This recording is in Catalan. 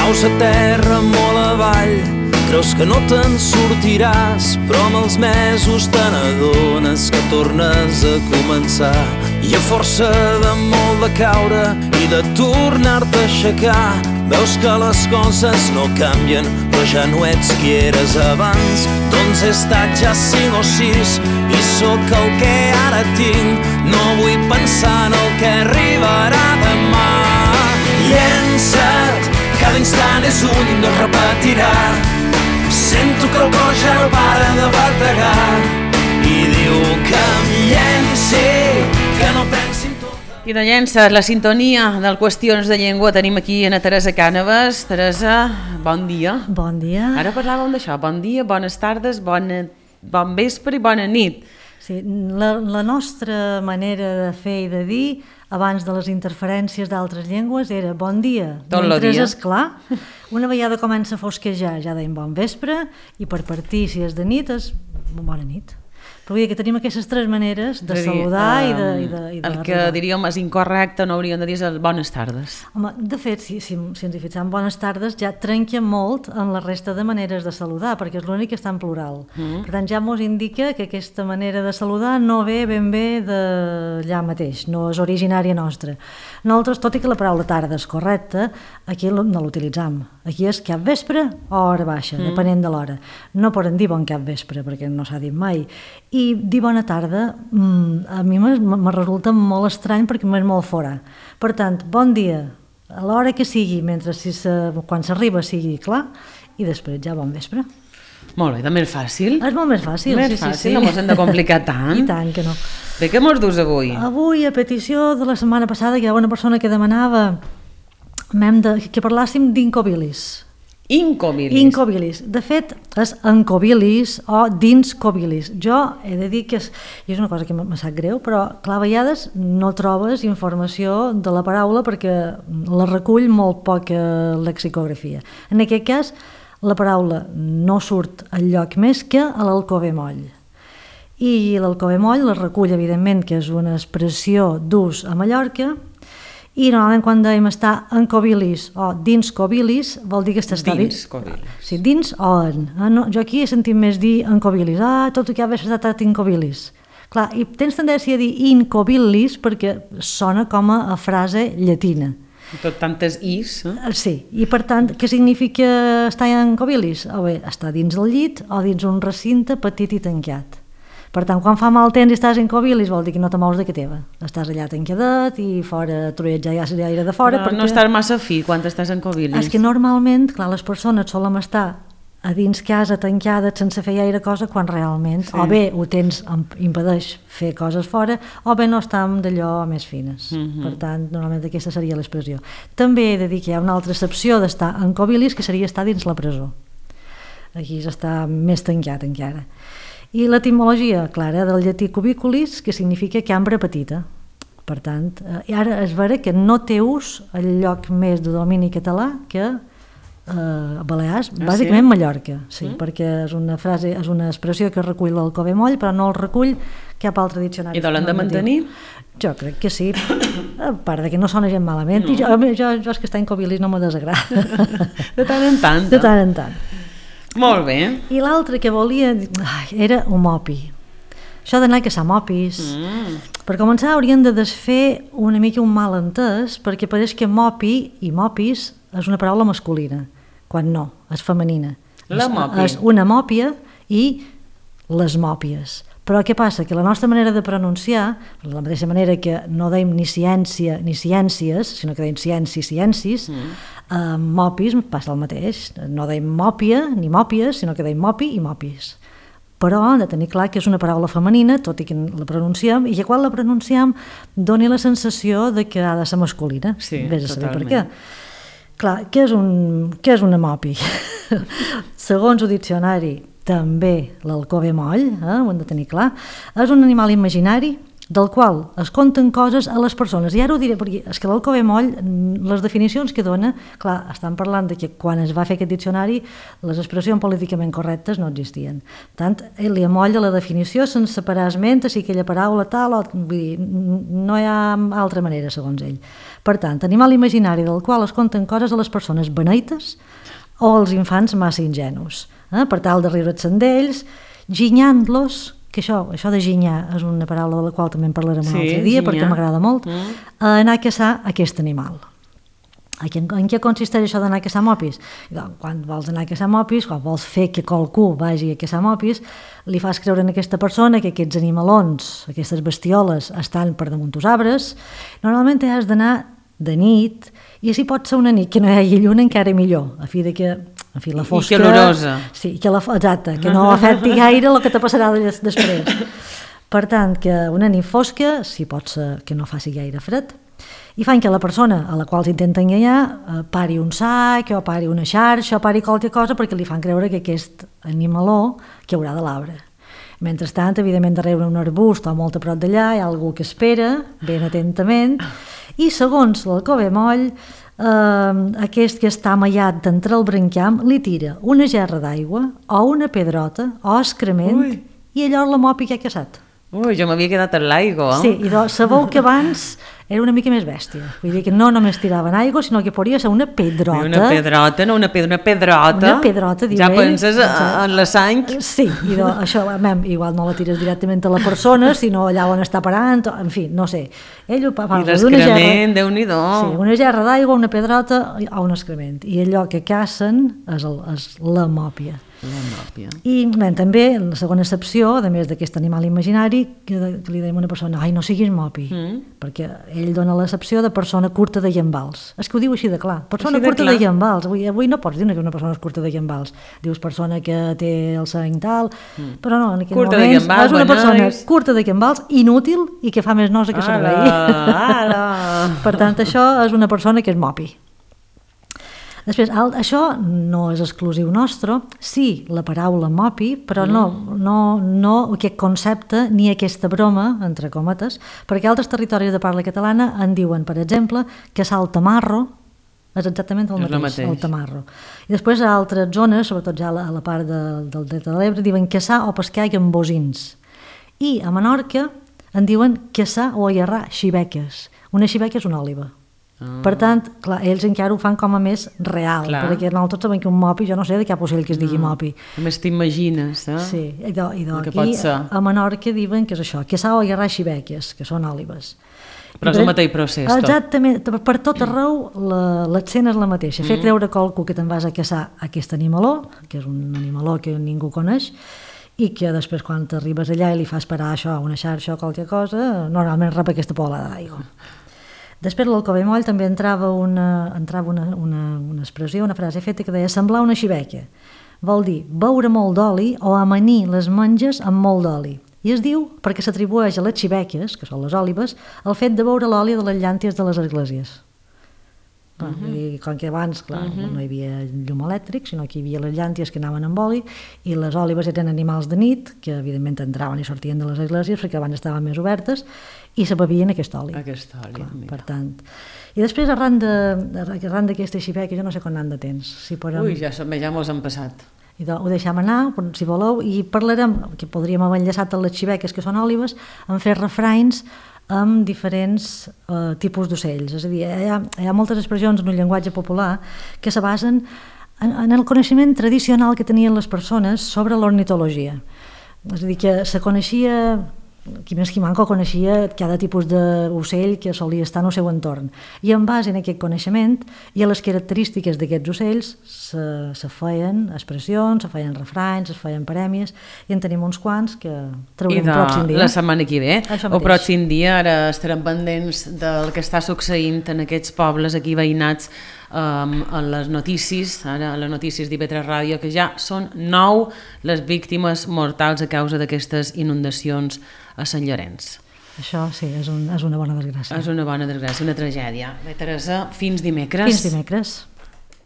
Caus a terra molt avall, creus que no te'n sortiràs, però amb els mesos te n'adones que tornes a començar. I a força de molt de caure i de tornar-te a aixecar, veus que les coses no canvien, però ja no ets qui eres abans. Doncs he estat ja 5 o 6 i sóc el que ara tinc. No vull pensar en el que arribarà demà. Llença't, cada instant és un i no es repetirà. Sento que el cor ja no para de bategar i diu que em llenci, que no pensi en tot. I de llença, la sintonia del Qüestions de Llengua tenim aquí a Teresa Cànovas. Teresa, bon dia. Bon dia. Ara parlàvem d'això, bon dia, bones tardes, bon vespre i bona nit. Sí, la nostra manera de fer i de dir abans de les interferències d'altres llengües era bon dia. Tot el mentre dia. és clar, una vegada comença a fosquejar ja deim bon vespre i per partir, si és de nit, és bona nit. Però vull dir que tenim aquestes 3 maneres de saludar i de el que diríem és incorrecte, no hauríem de dir és bones tardes. Home, de fet, si ens hi fixem, bones tardes ja trenca molt en la resta de maneres de saludar, perquè és l'únic que està en plural. Per tant, ja ens indica que aquesta manera de saludar no ve ben bé d'allà mateix, no és originària nostra. Nosaltres, tot i que la paraula tarda és correcta, aquí no l'utilitzam. Aquí és cap vespre o hora baixa, depenent de l'hora. No poden dir bon cap vespre, perquè no s'ha dit mai. I dir bona tarda a mi me resulta molt estrany perquè m'és molt fora. Per tant, bon dia, a l'hora que sigui, mentre quan s'arriba sigui clar, i després ja bon vespre. Molt bé, també és fàcil. És molt més fàcil. Més fàcil, no mos hem de complicar tant. I tant que no. Bé, què mos dus avui? Avui, a petició de la setmana passada, hi ha una persona que demanava que parlàssim d'incobilis. Incobilis. Incobilis. De fet, és encobilis o dinscobilis. Jo he de dir que és una cosa que me sap greu, però clar, a vegades no trobes informació de la paraula perquè la recull molt poca lexicografia. En aquest cas, la paraula no surt al lloc més que a l'alcover moll. I l'alcover moll la recull, evidentment, que és una expressió d'ús a Mallorca, i normalment quan dèiem estar en cobilis o dins cobilis vol dir que està dins cobilis. Sí, dins o en. No, jo aquí he sentit més dir en cobilis. Tot el que ha estat in cobilis. Clar, i tens tendència a dir in cobilis perquè sona com a frase llatina. Tot tantes is. Sí, i per tant, què significa estar en cobilis? O bé, estar dins del llit o dins un recinte petit i tancat. Per tant, quan fa mal temps i estàs en cobilis vol dir que no te mous de que teva. Estàs allà tancadet i fora trolleig ja l'aire de fora. Però no estàs massa fi quan estàs en cobilis. És que normalment, clar, les persones solen estar a dins casa tancades sense fer gaire cosa quan realment o bé ho tens, impedeix fer coses fora o bé no estem d'allò més fines. Per tant, normalment aquesta seria l'expressió. També he de dir que hi ha una altra excepció d'estar en cobilis que seria estar dins la presó. Aquí s'està més tancat encara. I l'etimologia clara del llatí cubiculis, que significa cambra petita. Per tant, i ara és vera que no té ús el lloc més de domini català que Balears, bàsicament Mallorca, sí, perquè és una frase, és una expressió que recull l'alcover moll, però no el recull cap altre diccionari. I l'han de mantenir? Jo crec que sí, a part de que no sona gent malament, i jo és que estar en cobilis no me desagrada. De tant en tant. De tant en tant. Molt bé. I l'altre que volia era homopi. Això d'anar a caçar mopis. Per començar hauríem de desfer una mica un malentès perquè pareix que mopi i mopis és una paraula masculina, quan no, és femenina. La mopi. És una mòpia i les mòpies. Però què passa? Que la nostra manera de pronunciar, de la mateixa manera que no deim ni ciència ni ciències, sinó que deim ciències, mopis passa el mateix. No deim mòpia ni mòpies, sinó que deim mopi i mòpies. Però hem de tenir clar que és una paraula femenina, tot i que la pronunciem, i que quan la pronunciem doni la sensació de que ha de ser masculina. Sí, vés a saber totalment. per què. Clar, què és una mopi? Segons el diccionari, també l'alcover moll, ho hem de tenir clar, és un animal imaginari del qual es conten coses a les persones. I ara ho diré, perquè és que l'Alcover Moll, les definicions que dona, clar, estan parlant de que quan es va fer aquest diccionari les expressions políticament correctes no existien. Tant, ell li amolla la definició sense parar esment, si aquella paraula tal, o, vull dir, no hi ha altra manera, segons ell. Per tant, animal imaginari del qual es conten coses a les persones beneites o als infants massa ingenus, per tal de riure's d'ells, ginyant-los, que això de ginyar és una paraula de la qual també en parlarem un altre dia, perquè m'agrada molt, anar a caçar aquest animal. En què consisteix això d'anar a caçar mopis? Quan vols anar a caçar mopis, quan vols fer que qualcú vagi a caçar mopis, li fas creure a aquesta persona que aquests animalons, aquestes bestioles, estan per damunt dels arbres. Normalment has d'anar de nit, i si pot ser una nit que no hi hagi lluna encara millor, a fi de que la fosca... I calorosa. Sí, exacte, que no afecti gaire el que te passarà després. Per tant, que una nit fosca, si pot ser que no faci gaire fred, i fan que la persona a la qual s'intenta enganyar pari un sac, o pari una xarxa, o pari qualque cosa, perquè li fan creure que aquest animaló caurà de l'arbre. Mentrestant, evidentment, darrere un arbust o molt a prop d'allà hi ha algú que espera, ben atentament, i segons l'Alcover Moll, aquest que està amallat d'entre el brancam li tira una gerra d'aigua o una pedrota o excrement i allò la mopi que ha caçat. Ui, jo m'havia quedat en l'aigua. Sí, i sabeu que abans era una mica més bèstia. Vull dir que no només tiraven aigua, sinó que podria ser una pedrota. Una pedrota, no una pedrota. Una pedrota, diu ja ell. Penses en la sang? Sí, i això, igual no la tires directament a la persona, sinó allà on està parant, en fi, no sé. Ell ho parla d'una gerra... I l'excrement, Déu-n'hi-do. Sí, una gerra d'aigua, una pedrota o un excrement. I allò que cacen és la mòpia. I també, en la segona excepció, a més d'aquest animal imaginari, que li dèiem a una persona, ai, no siguis mopi, perquè ell dona l'excepció de persona curta de llambals. És que ho diu així de clar, persona curta de llambals. Avui no pots dir que una persona és curta de llambals. Dius persona que té el sang tal, però no, en aquell moment és una persona curta de llambals, inútil i que fa més nosa que servei. Per tant, això és una persona que és mopi. Després, això no és exclusiu nostre, sí, la paraula mopi, però no aquest concepte ni aquesta broma, entre cometes, perquè altres territoris de parla catalana en diuen, per exemple, que el tamarro és exactament el mateix, el tamarro. I després a altres zones, sobretot ja a la part del Delta de l'Ebre, diuen caçar o pescar amb bocins. I a Menorca en diuen caçar o allarrar xibeques. Una xibeca és una òliba. Per tant, clar, ells encara ho fan com a més real, perquè nosaltres sabem que un mopi, jo no sé de cap ocell que es digui mopi. A més t'imagines, eh? Sí, i aquí a Menorca diuen que és això, caçar o allarrar xibeques, que són òlibes. Però és el mateix procés, tot. Exactament, per tot arreu l'escena és la mateixa, fer creure a qualcú que te'n vas a caçar aquest animaló, que és un animaló que ningú coneix, i que després quan t'arribes allà i li fas parar això, una xarxa o qualque cosa, normalment rep aquesta polada d'aigua. Després l'Alcover Moll també entrava una expressió, una frase feta que deia semblar una xibeca. Vol dir beure molt d'oli o amanir les menges amb molt d'oli. I es diu perquè s'atribueix a les xibeques, que són les òlibes, el fet de beure l'oli de les llànties de les esglésies. Com que abans, clar, no hi havia llum elèctric, sinó que hi havia les llànties que anaven amb oli, i les òlibes eren animals de nit, que evidentment entraven i sortien de les esglésies, perquè abans estaven més obertes, i se bevien aquest oli. Per tant. I després, arran d'aquesta xibeca, jo no sé quan han de temps. Ui, ja mos han passat. Ho deixem anar, si voleu, i parlarem, que podríem haver enllaçat a les xibeques, que són òlibes, en fer refranys amb diferents tipus d'ocells. És a dir, hi ha moltes expressions en un llenguatge popular que se basen en el coneixement tradicional que tenien les persones sobre l'ornitologia. És a dir, que se coneixia, qui més qui manco coneixia cada tipus d'ocell que solia estar en el seu entorn. I en base a aquest coneixement i a les característiques d'aquests ocells se feien expressions, se feien refranys, es feien parèmies, i en tenim uns quants que traurem el pròxim dia. La setmana que ve, el pròxim dia, ara estarem pendents del que està succeint en aquests pobles aquí veïnats a les notícies, ara a les notícies d'IV3 Ràdio, que ja són 9 les víctimes mortals a causa d'aquestes inundacions a Sant Llorenç. Això sí, és una bona desgràcia. És una bona desgràcia, una tragèdia. Bé, Teresa, fins dimecres. Fins dimecres.